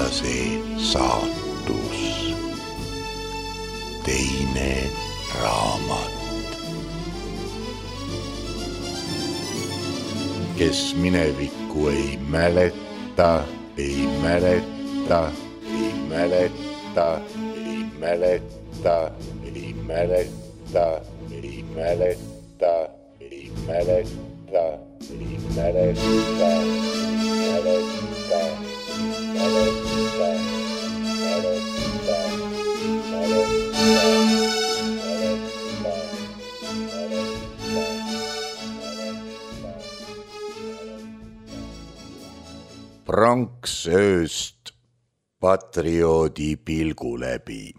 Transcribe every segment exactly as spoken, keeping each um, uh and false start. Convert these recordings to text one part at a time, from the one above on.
venelase saatus. Teine raamat. Kes minevikku ei mäleta, ei mäleta, ei mäleta, ei mäleta, ei mäleta, ei mäleta, ei mäleta, ei mäleta, mäleta, mäleta, pronks ööst patrioodi pilgu läbi.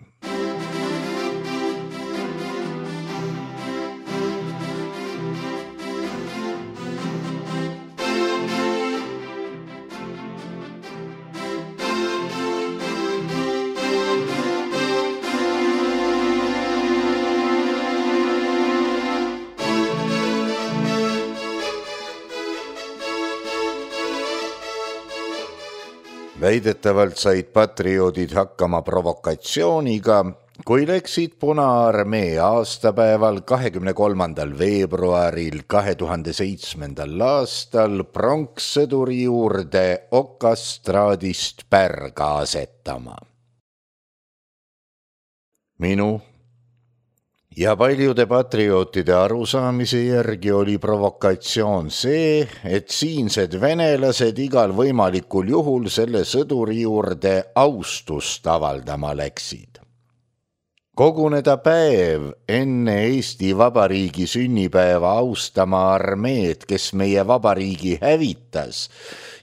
Väidetavalt said patrioodid hakkama provokatsiooniga, kui läksid Punaarmee aastapäeval kahekümne kolmandal veebruaril kahe tuhande seitsmendal aastal pronkssõduri juurde okastraadist pärga asetama. Minu ja paljude patriootide arusaamise järgi oli provokatsioon see, et siinsed venelased igal võimalikul juhul selle sõduri juurde austust avaldama läksid. Koguneda päev enne Eesti Vabariigi sünnipäeva austama armeed, kes meie vabariigi hävitas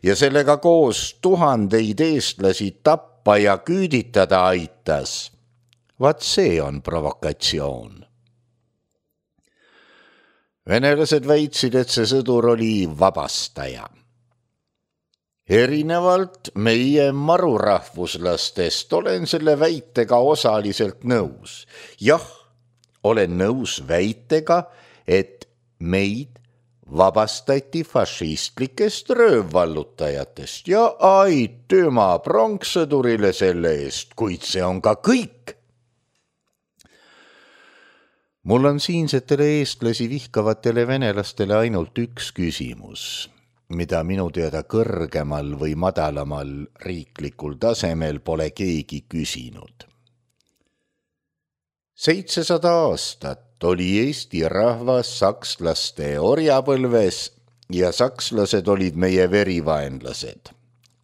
ja sellega koos tuhandeid eestlasi tappa ja küüditada aitas. Vaat see on provokatsioon. Venelased väitsid, et see sõdur oli vabastaja. Erinevalt meie marurahvuslastest olen selle väitega osaliselt nõus. Jah, olen nõus väitega, et meid vabastati fašistlikest röövvallutajatest ja aitüma pronkssõdurile selle eest, kuid see on ka kõik. Mul on siinsetele eestlasi vihkavatele venelastele ainult üks küsimus, mida minu teada kõrgemal või madalamal riiklikul tasemel pole keegi küsinud. seitsesada aastat oli Eesti rahvas sakslaste orjapõlves ja sakslased olid meie verivaenlased.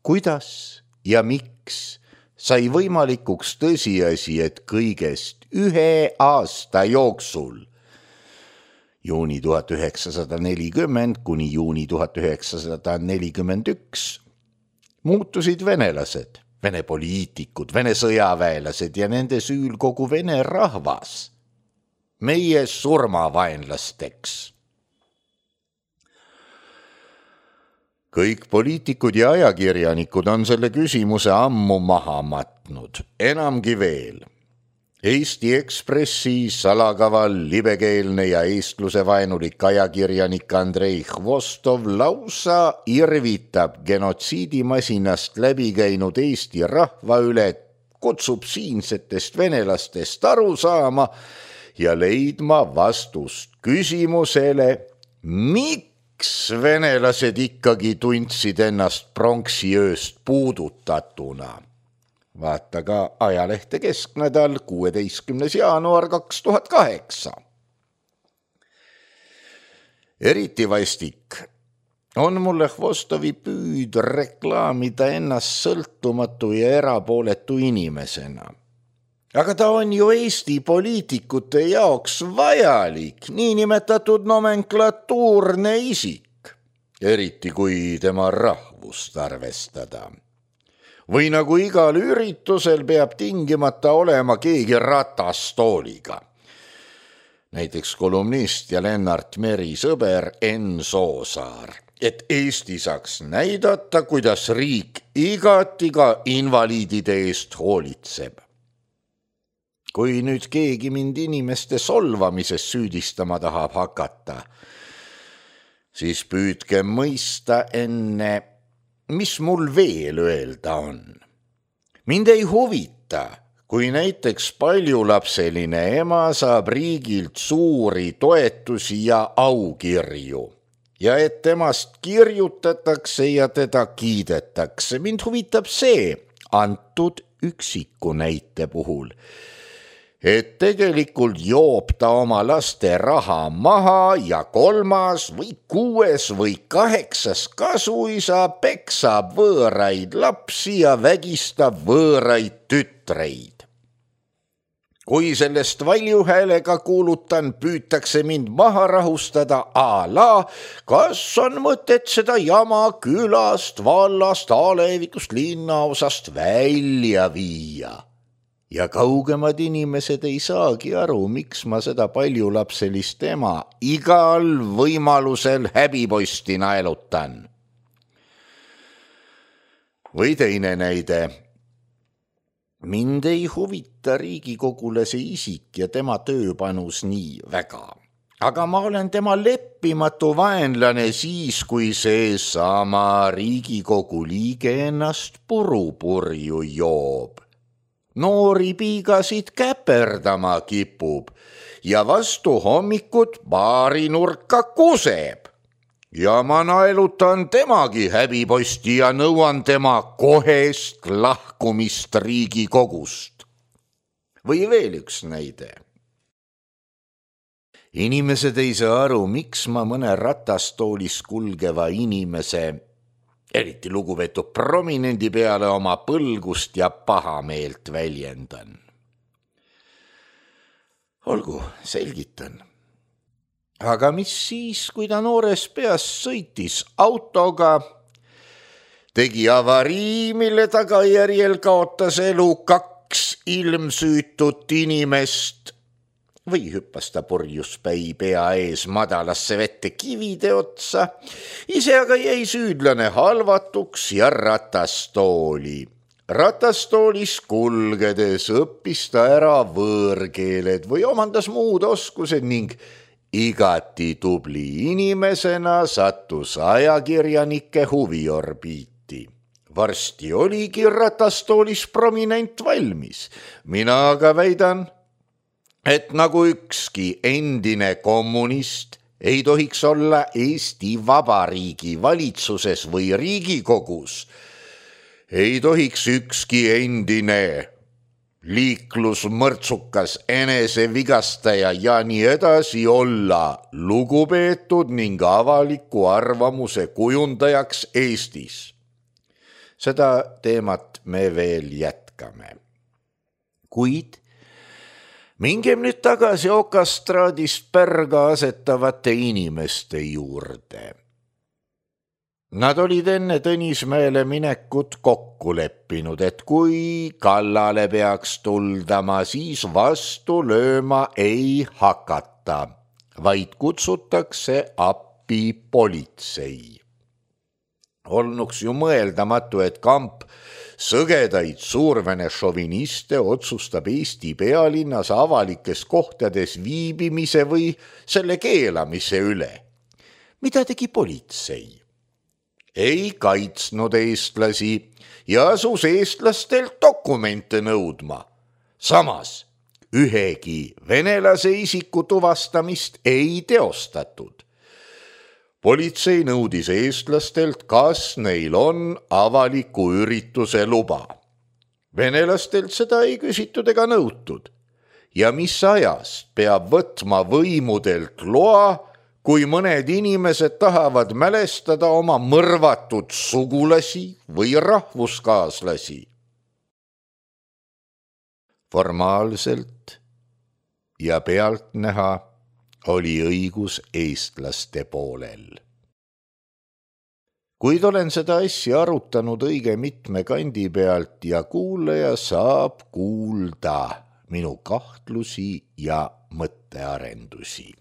Kuidas ja miks sai võimalikuks tõsiasi, et kõigest ühe aasta jooksul, juuni tuhat üheksasada nelikümmend kuni juuni tuhat üheksasada nelikümmend üks, muutusid venelased, vene poliitikud, vene sõjaväelased ja nende süül kogu vene rahvas meie surmavaenlasteks. Kõik poliitikud ja ajakirjanikud on selle küsimuse ammu maha matnud, enamgi veel. Eesti Ekspressi salakaval, libekeelne ja eestluse vaenulik ajakirjanik Andrei Hvostov lausa irvitab genotsiidimasinast läbi käinud Eesti rahva üle, kutsub siinsetest venelastest aru saama ja leidma vastust küsimusele, miks venelased ikkagi tundsid ennast pronksiööst puudutatuna. Vaata ka ajalehte Kesknädal kuueteistkümnes jaanuar kaks tuhat kaheksa. Eriti vastik on mulle Hvostovi püüd reklaamida ennast sõltumatu ja erapooletu inimesena. Aga ta on ju Eesti poliitikute jaoks vajalik, niinimetatud nomenklatuurne isik, eriti kui tema rahvust arvestada. Või nagu igal üritusel peab tingimata olema keegi ratastooliga. Näiteks kolumnist ja Lennart Meri sõber Enn Soosaar, et Eesti saaks näidata, kuidas riik igati ka invaliidide eest hoolitseb. Kui nüüd keegi mind inimeste solvamises süüdistama tahab hakata, siis püüdke mõista enne, mis mul veel öelda on. Mind ei huvita, kui näiteks paljulapseline ema saab riigilt suuri toetusi ja aukirju ja et temast kirjutatakse ja teda kiidetakse. Mind huvitab see antud üksiku näite puhul, et tegelikult joob ta oma laste raha maha ja kolmas või kuues või kaheksas kasuisa peksab võõraid lapsi ja vägistab võõraid tütreid. Kui sellest valjuhäälega kuulutan, püütakse mind maha rahustada a la, kas on mõtet seda jama külast, vallast, alevikust, linnaosast välja viia. Ja kaugemad inimesed ei saagi aru, miks ma seda paljulapselist ema igal võimalusel häbiposti naelutan. Või teine näide. Mind ei huvita Riigikogule see isik ja tema tööpanus nii väga. Aga ma olen tema leppimatu vaenlane siis, kui see sama Riigikogu liige ennast purupurju joob. Noori piigasid käperdama kipub ja vastu hommikut baarinurka kuseb. Ja ma naelutan temagi häbiposti ja nõuan tema kohest lahkumist Riigikogust. Või veel üks näide. Inimesed ei saa aru, miks ma mõne ratastoolis kulgeva inimese, eriti lugupeetud prominendi peale oma põlgust ja pahameelt väljendan. Olgu, selgitan. Aga mis siis, kui ta noores peas sõitis autoga, tegi avarii, mille tagajärjel kaotas elu kaks ilmsüütut inimest või hüppas ta purjuspäi pea ees madalasse vette kivide otsa, ise aga jäi süüdlane halvatuks ja ratastooli. Ratastoolis kulgedes õppis ta ära võõrkeeled või omandas muud oskused ning igati tubli inimesena sattus ajakirjanike huviorbiiti. Varsti oligi ratastoolis prominent valmis. Mina aga väidan, et nagu ükski endine kommunist ei tohiks olla Eesti Vabariigi valitsuses või Riigikogus, ei tohiks ükski endine liiklusmõrtsukas, enesevigastaja ja nii edasi olla lugupeetud ning avaliku arvamuse kujundajaks Eestis. Seda teemat me veel jätkame. Kuid mingem nüüd tagasi okastraadist pärga asetavate inimeste juurde. Nad olid enne Tõnismäele minekut kokku leppinud, et kui kallale peaks tuldama, siis vastu lööma ei hakata, vaid kutsutakse appi politsei. Olnuks ju mõeldamatu, et kamp sõgedaid suurvene šoviniste otsustab Eesti pealinnas avalikes kohtades viibimise või selle keelamise üle. Mida tegi politsei? Ei kaitsnud eestlasi ja asus eestlastelt dokumente nõudma. Samas ühegi venelase isiku tuvastamist ei teostatud. Politsei nõudis eestlastelt, kas neil on avaliku ürituse luba. Venelastelt seda ei küsitud ega nõutud. Ja mis ajast peab võtma võimudelt loa, kui mõned inimesed tahavad mälestada oma mõrvatud sugulasi või rahvuskaaslasi. Formaalselt ja pealtnäha oli õigus eestlaste poolel. Kuid olen seda asja arutanud õige mitme kandi pealt ja kuulaja saab kuulda minu kahtlusi ja mõttearendusi.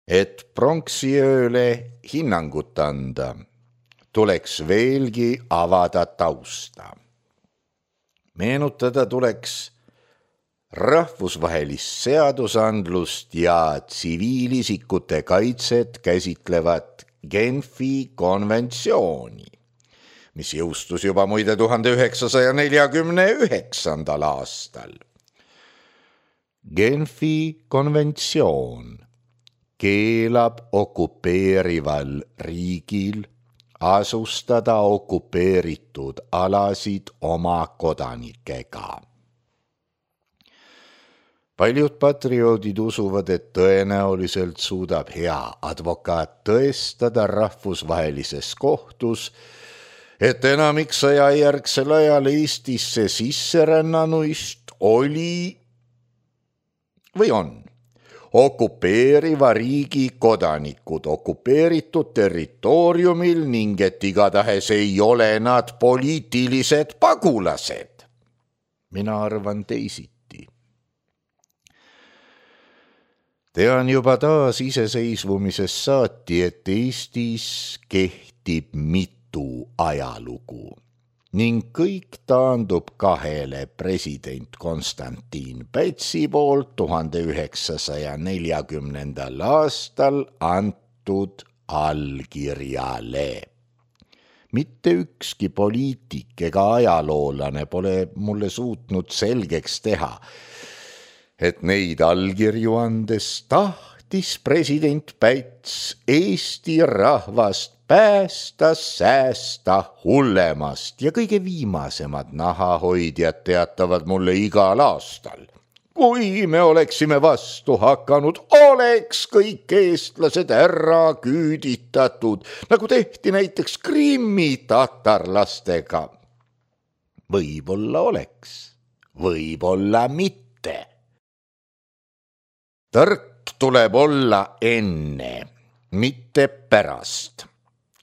Et pronksiööle hinnangut anda, tuleks veelgi avada tausta. Meenutada tuleks rahvusvahelist seadusandlust ja tsiviilisikute kaitset käsitlevat Genfi konventsiooni, mis jõustus juba muide tuhande üheksasaja neljakümne üheksandal aastal. Genfi konventsioon keelab okupeerival riigil asustada okupeeritud alasid oma kodanikega. Paljud patrioodid usuvad, et tõenäoliselt suudab hea advokaat tõestada rahvusvahelises kohtus, et enamik sõjajärgsel ajal Eestisse sisserännanuist oli või on okupeeriva riigi kodanikud okupeeritud territooriumil ning et igatahes ei ole nad poliitilised pagulased. Mina arvan teisiti. Tean juba taas iseseisvumisest saati, et Eestis kehtib mitu ajalugu ning kõik taandub kahele president Konstantin Pätsi poolt tuhande üheksasaja neljakümnendal aastal antud allkirjale. Mitte ükski poliitik ega ajaloolane pole mulle suutnud selgeks teha, et neid allkirju andes tahtis president Päts Eesti rahvast päästa, säästa hullemast ja kõige viimasemad nahahoidjad teatavad mulle igal aastal. Kui me oleksime vastu hakanud, oleks kõik eestlased ära küüditatud, nagu tehti näiteks Krimmi tatarlastega. Võib-olla oleks, võib-olla mitte. Tark tuleb olla enne, mitte pärast.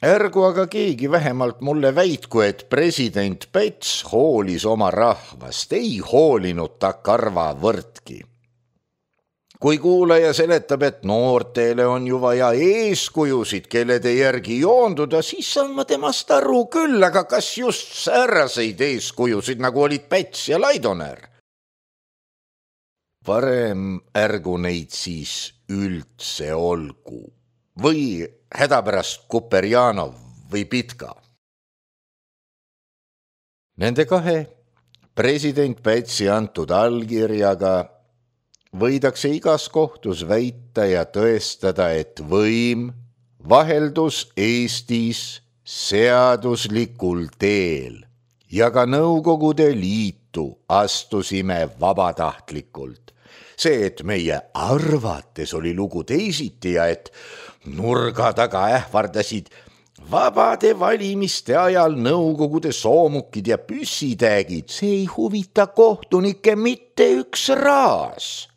Ärgu aga keegi vähemalt mulle väitku, et president Päts hoolis oma rahvast, ei hoolinud ta karvavõrdki. Kui kuulaja seletab, et noortele on ju vaja eeskujusid, kellede järgi joonduda, siis saan ma temast aru küll, aga kas just säärseid eeskujusid, nagu olid Päts ja Laidoner? Varem ärgu neid siis üldse olgu või hädapärast Kuperjanov või Pitka. Nende kahe president Pätsi antud allkirjaga võidakse igas kohtus väita ja tõestada, et võim vaheldus Eestis seaduslikul teel ja ka Nõukogude Liitu astusime vabatahtlikult. See, et meie arvates oli lugu teisiti ja et nurga taga ähvardasid vabade valimiste ajal Nõukogude soomukid ja püssitäägid, see ei huvita kohtunikke mitte üks raas.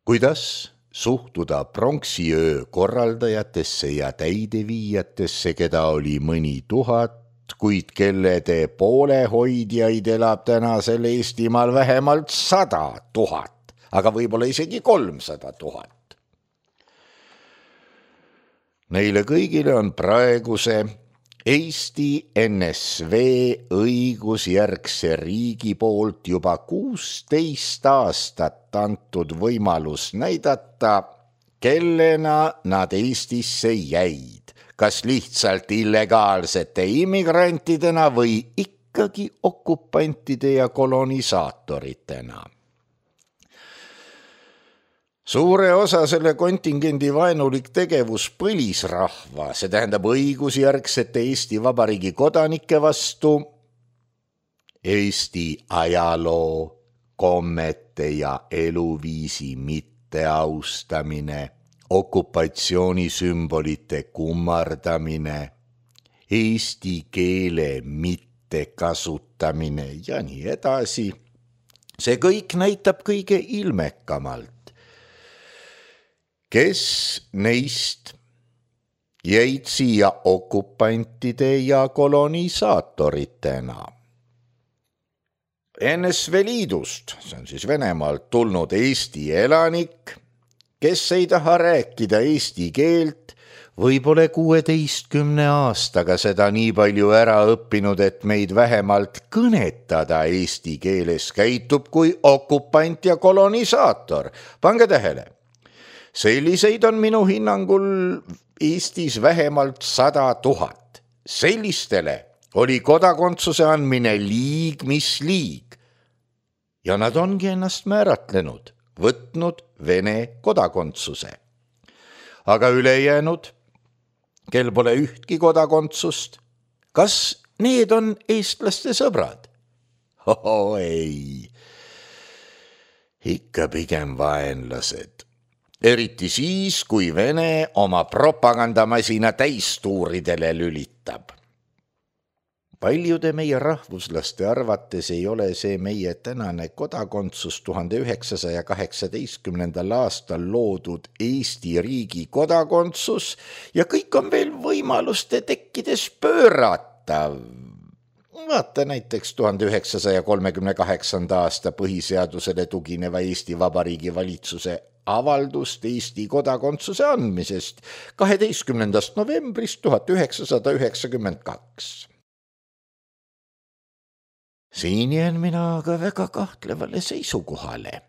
Kuidas suhtuda pronksiöö korraldajatesse ja täideviijatesse, keda oli mõni tuhat, kuid kellede poolehoidjaid elab tänasel Eestimaal vähemalt sada tuhat, aga võib-olla isegi kolmsada tuhat. Neile kõigile on praeguse Eesti N S V õigusjärgse riigi poolt juba kuusteist aastat antud võimalus näidata, kellena nad Eestisse jäid. Kas lihtsalt illegaalsete immigrantidena või ikkagi okupantide ja kolonisaatoritena. Suure osa selle kontingendi vaenulik tegevus põlisrahva, see tähendab õigusjärgsete Eesti Vabariigi kodanike vastu, Eesti ajaloo, kommete ja eluviisi mitteaustamine, okupatsioonisümbolite kummardamine, eesti keele mittekasutamine ja nii edasi. See kõik näitab kõige ilmekamalt, kes neist jäid siia okupantide ja kolonisaatoritena. N S V Liidust, see on siis Venemaalt tulnud Eesti elanik, kes ei taha rääkida eesti keelt või pole kuueteistkümne aastaga seda nii palju ära õppinud, et meid vähemalt kõnetada eesti keeles, käitub kui okupant ja kolonisaator. Pange tähele, selliseid on minu hinnangul Eestis vähemalt sada tuhat. Sellistele oli kodakondsuse andmine liig mis liig. Ja nad ongi ennast määratlenud, võtnud Vene kodakondsuse. Aga ülejäänud, kel pole ühtki kodakondsust, kas need on eestlaste sõbrad? Oh, ei, ikka pigem vaenlased. Eriti siis, kui Vene oma propagandamasina täistuuridele lülitab. Paljude meie rahvuslaste arvates ei ole see meie tänane kodakondsus tuhande üheksasaja kaheksateistkümnendal aastal loodud Eesti riigi kodakondsus ja kõik on veel võimaluste tekkides pööratav. Vaata näiteks tuhande üheksasaja kolmekümne kaheksanda aasta põhiseadusele tugineva Eesti Vabariigi valitsuse avaldust Eesti kodakondsuse andmisest kaheteistkümnendast novembrist tuhat üheksasada üheksakümmend kaks. Siin jään mina aga väga kahtlevale seisukohale.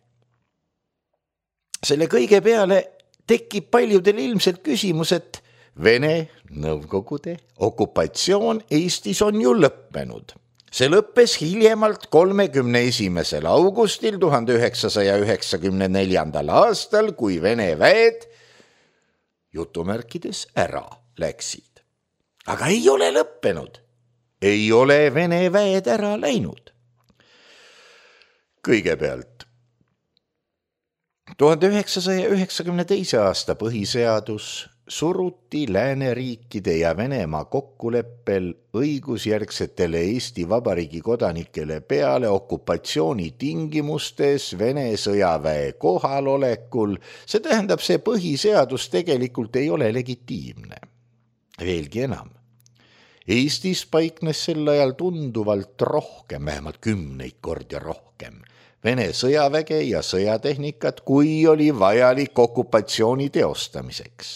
Selle kõige peale tekib paljudel ilmselt küsimus, et Vene Nõukogude okupatsioon Eestis on ju lõppenud. See lõppes hiljemalt kolmekümne esimesel augustil tuhande üheksasaja üheksakümne neljandal aastal, kui Vene väed jutumärkides ära läksid. Aga ei ole lõppenud. Ei ole Vene väed ära läinud. Kõigepealt, tuhande üheksasaja üheksakümne teise aasta põhiseadus suruti lääneriikide ja Venemaa kokkuleppel õigusjärgsetele Eesti Vabariigi kodanikele peale okupatsiooni tingimustes Vene sõjaväe kohalolekul. See tähendab, see põhiseadus tegelikult ei ole legitiimne. Veelgi enam. Eestis paiknes sel ajal tunduvalt rohkem, vähemalt kümneid kordi rohkem, Vene sõjaväge ja sõjatehnikat, kui oli vajalik okupatsiooni teostamiseks.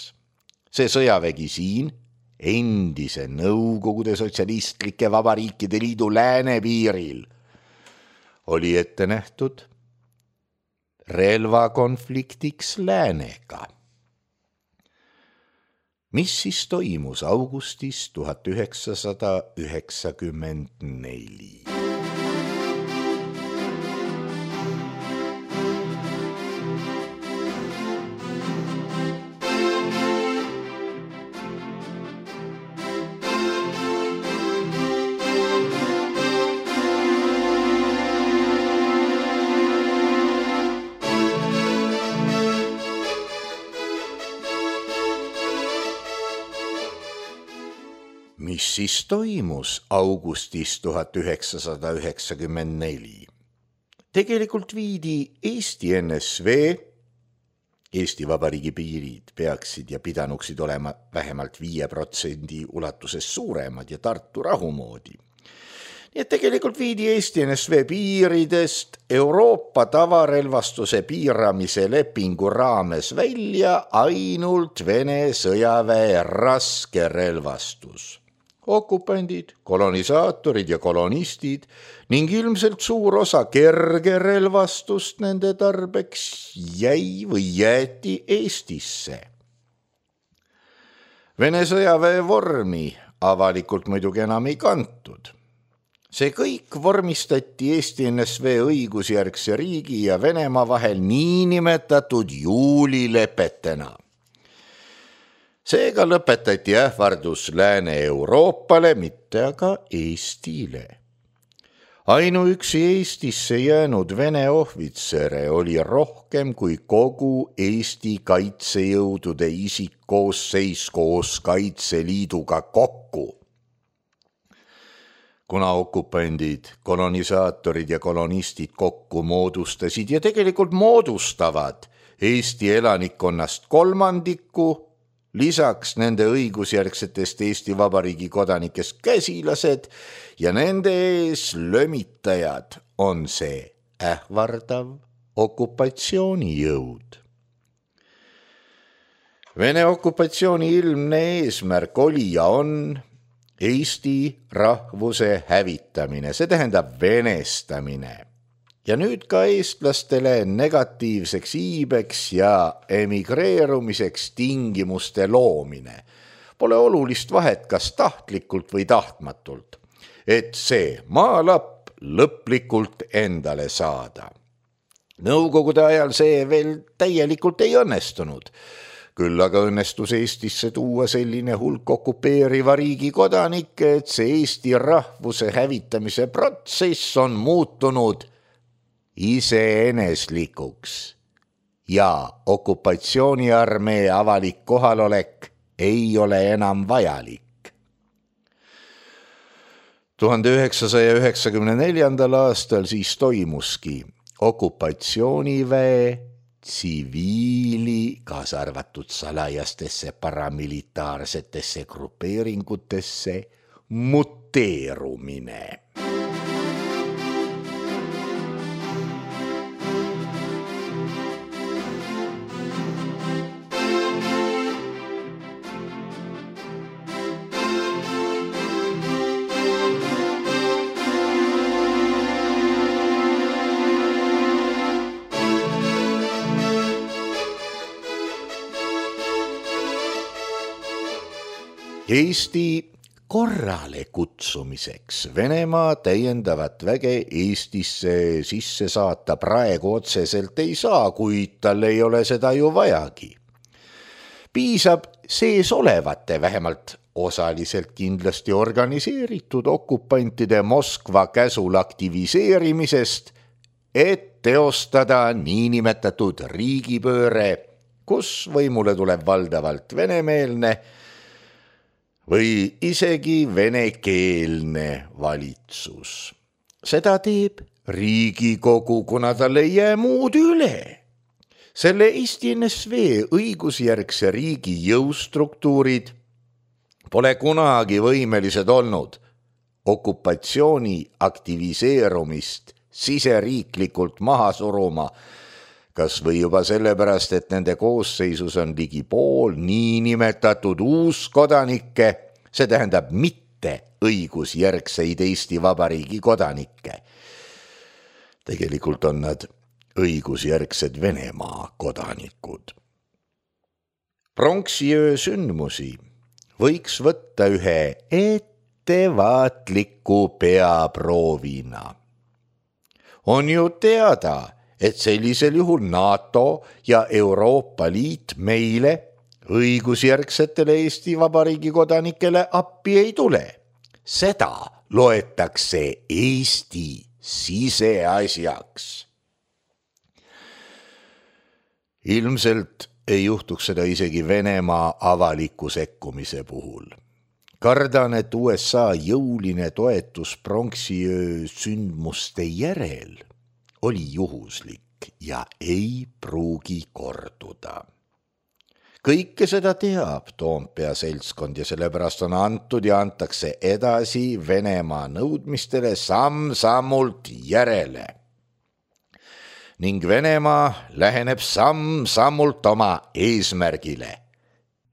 See sõjavägi siin, endise Nõukogude Sotsialistlike Vabariikide Liidu läänepiiril, oli ette nähtud relvakonfliktiks läänega. Mis siis toimus augustis tuhat üheksasada üheksakümmend neli? Mis siis toimus augustis tuhat üheksasada üheksakümmend neli? Tegelikult viidi Eesti N S V, Eesti Vabariigi piirid peaksid ja pidanuksid olema vähemalt viie protsendi ulatuses suuremad ja Tartu rahumoodi. Nii et tegelikult viidi Eesti N S V piiridest Euroopa tavarelvastuse piiramise lepingu raames välja ainult Vene sõjaväe raske relvastus. Okupandid, kolonisaatorid ja kolonistid ning ilmselt suur osa kerge relvastust nende tarbeks jäi või jäeti Eestisse. Vene sõjaväe vormi avalikult muidugi enam ei kantud. See kõik vormistati Eesti N S V õigusjärgse riigi ja Venemaa vahel niinimetatud juulilepetena. Seega lõpetati ähvardus Lääne-Euroopale, mitte aga Eestile. Ainuüksi Eestisse jäänud Vene ohvitsere oli rohkem kui kogu Eesti kaitsejõudude isikkoosseis koos Kaitseliiduga kokku. Kuna okupandid, kolonisaatorid ja kolonistid kokku moodustasid ja tegelikult moodustavad Eesti elanikkonnast kolmandiku, lisaks nende õigusjärgsetest Eesti Vabariigi kodanikest käsilased ja nende ees lömitajad on see ähvardav okupatsioonijõud. Vene okupatsiooni ilmne eesmärk oli ja on Eesti rahvuse hävitamine, see tähendab venestamine. Ja nüüd ka eestlastele negatiivseks iibeks ja emigreerumiseks tingimuste loomine. Pole olulist vahet, kas tahtlikult või tahtmatult, et see maalapp lõplikult endale saada. Nõukogude ajal see veel täielikult ei õnnestunud. Küll aga õnnestus Eestisse tuua selline hulk okupeeriva riigi kodanikke, et see Eesti rahvuse hävitamise protsess on muutunud iseeneslikuks ja okupatsiooniarmee avalik kohalolek ei ole enam vajalik. tuhande üheksasaja üheksakümne neljandal aastal siis toimuski okupatsiooniväe tsiviili, kaasa arvatud salajastesse paramilitaarsetesse grupeeringutesse muteerumine. Eesti korrale kutsumiseks Venemaa täiendavat väge Eestisse sisse saata praegu otseselt ei saa, kuid tal ei ole seda ju vajagi. Piisab sees olevate, vähemalt osaliselt kindlasti organiseeritud okupantide Moskva käsul aktiviseerimisest, et teostada niinimetatud riigipööre, kus võimule tuleb valdavalt venemeelne või isegi venekeelne valitsus. Seda teeb Riigikogu, kuna tal ei jää muud üle. Selle Eesti N S V õigusjärgse riigi jõustruktuurid pole kunagi võimelised olnud okupatsiooni aktiviseerumist siseriiklikult maha suruma, kas või juba sellepärast, et nende koosseisus on ligi pool niinimetatud uuskodanikke, see tähendab mitte õigusjärgseid Eesti Vabariigi kodanikke. Tegelikult on nad õigusjärgsed Venemaa kodanikud. Pronksiöö sündmusi võiks võtta ühe ettevaatliku peaproovina. On ju teada, et sellisel juhul NATO ja Euroopa Liit meile õigusjärgsetele Eesti Vabariigi kodanikele appi ei tule. Seda loetakse Eesti siseasjaks. Ilmselt ei juhtuks seda isegi Venemaa avaliku sekkumise puhul. Kardan, et U S A jõuline toetus pronksiöö sündmuste järel oli juhuslik ja ei pruugi korduda. Kõike seda teab Toompea seltskond ja sellepärast on antud ja antakse edasi Venemaa nõudmistele samm-sammult järele. Ning Venemaa läheneb samm-sammult oma eesmärgile.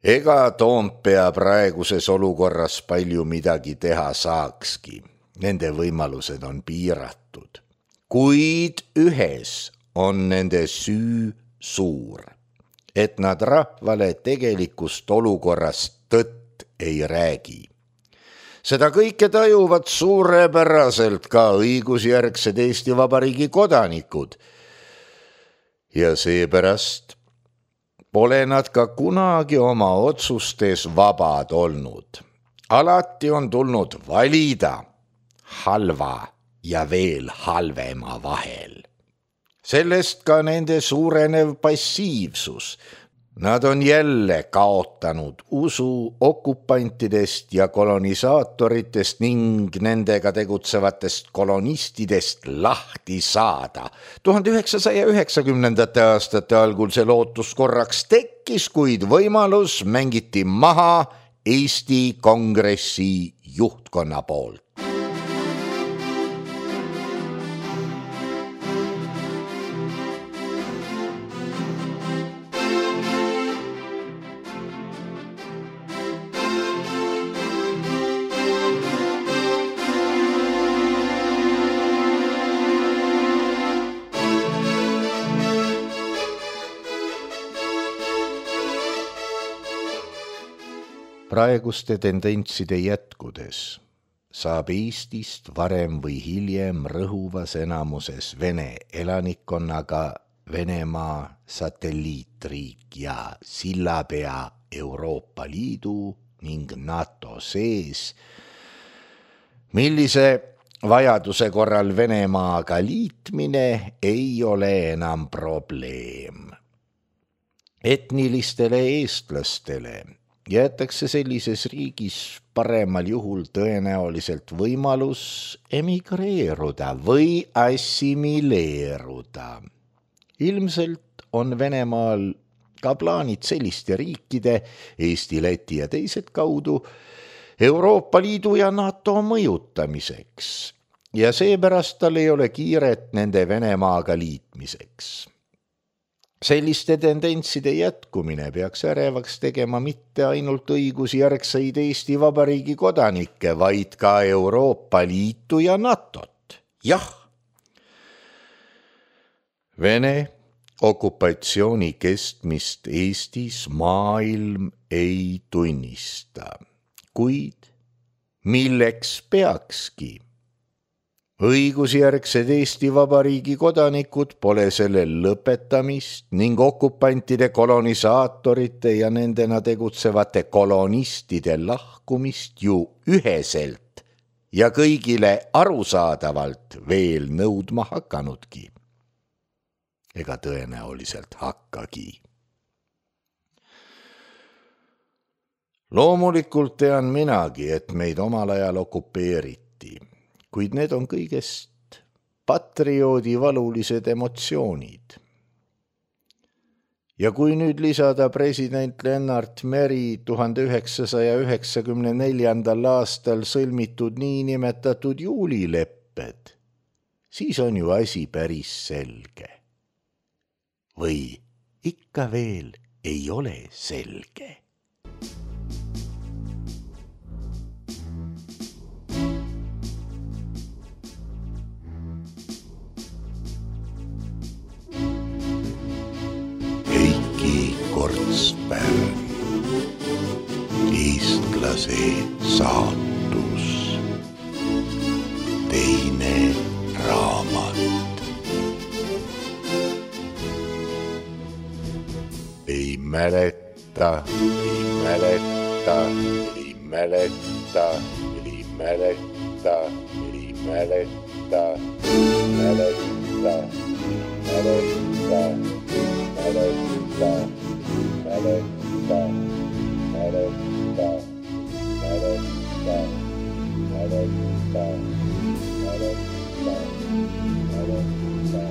Ega Toompea praeguses olukorras palju midagi teha saakski. Nende võimalused on piiratud. Kuid ühes on nende süü suur, et nad rahvale tegelikust olukorrast tõtt ei räägi. Seda kõike tajuvad suurepäraselt ka õigusjärgsed Eesti Vabariigi kodanikud ja seepärast pole nad ka kunagi oma otsustes vabad olnud. Alati on tulnud valida halva ja veel halvema vahel. Sellest ka nende suurenev passiivsus. Nad on jälle kaotanud usu okupantidest ja kolonisaatoritest ning nendega tegutsevatest kolonistidest lahti saada. tuhande üheksasaja üheksakümnendate aastate algul see lootus korraks tekkis, kuid võimalus mängiti maha Eesti Kongressi juhtkonna poolt. Praeguste tendentside jätkudes saab Eestist varem või hiljem rõhuvas enamuses Vene elanikkonnaga Venemaa satelliitriik ja sillapea Euroopa Liidu ning NATO sees, millise vajaduse korral Venemaaga liitmine ei ole enam probleem. Etnilistele eestlastele jäetakse sellises riigis paremal juhul tõenäoliselt võimalus emigreeruda või assimileeruda. Ilmselt on Venemaal ka plaanid selliste riikide, Eesti, Läti ja teised kaudu, Euroopa Liidu ja NATO mõjutamiseks ja seepärast tal ei ole kiiret nende Venemaaga liitmiseks. Selliste tendentside jätkumine peaks ärevaks tegema mitte ainult õigusjärgseid Eesti Vabariigi kodanikke, vaid ka Euroopa Liitu ja NATOt. Jah, Vene okupatsiooni kestmist Eestis maailm ei tunnista, kuid milleks peakski? Õigusjärgsed Eesti Vabariigi kodanikud pole selle lõpetamist ning okupantide, kolonisaatorite ja nendena tegutsevate kolonistide lahkumist ju üheselt ja kõigile arusaadavalt veel nõudma hakanudki. Ega tõenäoliselt hakkagi. Loomulikult tean minagi, et meid omal ajal okupeeriti, kuid need on kõigest patrioodi valulised emotsioonid. Ja kui nüüd lisada president Lennart Meri tuhande üheksasaja üheksakümne neljandal aastal sõlmitud niinimetatud juulilepped, siis on ju asi päris selge. Või ikka veel ei ole selge. Heiki Kortspärn, eestlase saatus, teine raamat. Ei mäleta, ei mäleta, ei mäleta, ei mäleta, ei mäleta, mäleta, mäleta, mäleta, mäleta, mäleta, mäleta, mäleta, mäleta, mäleta,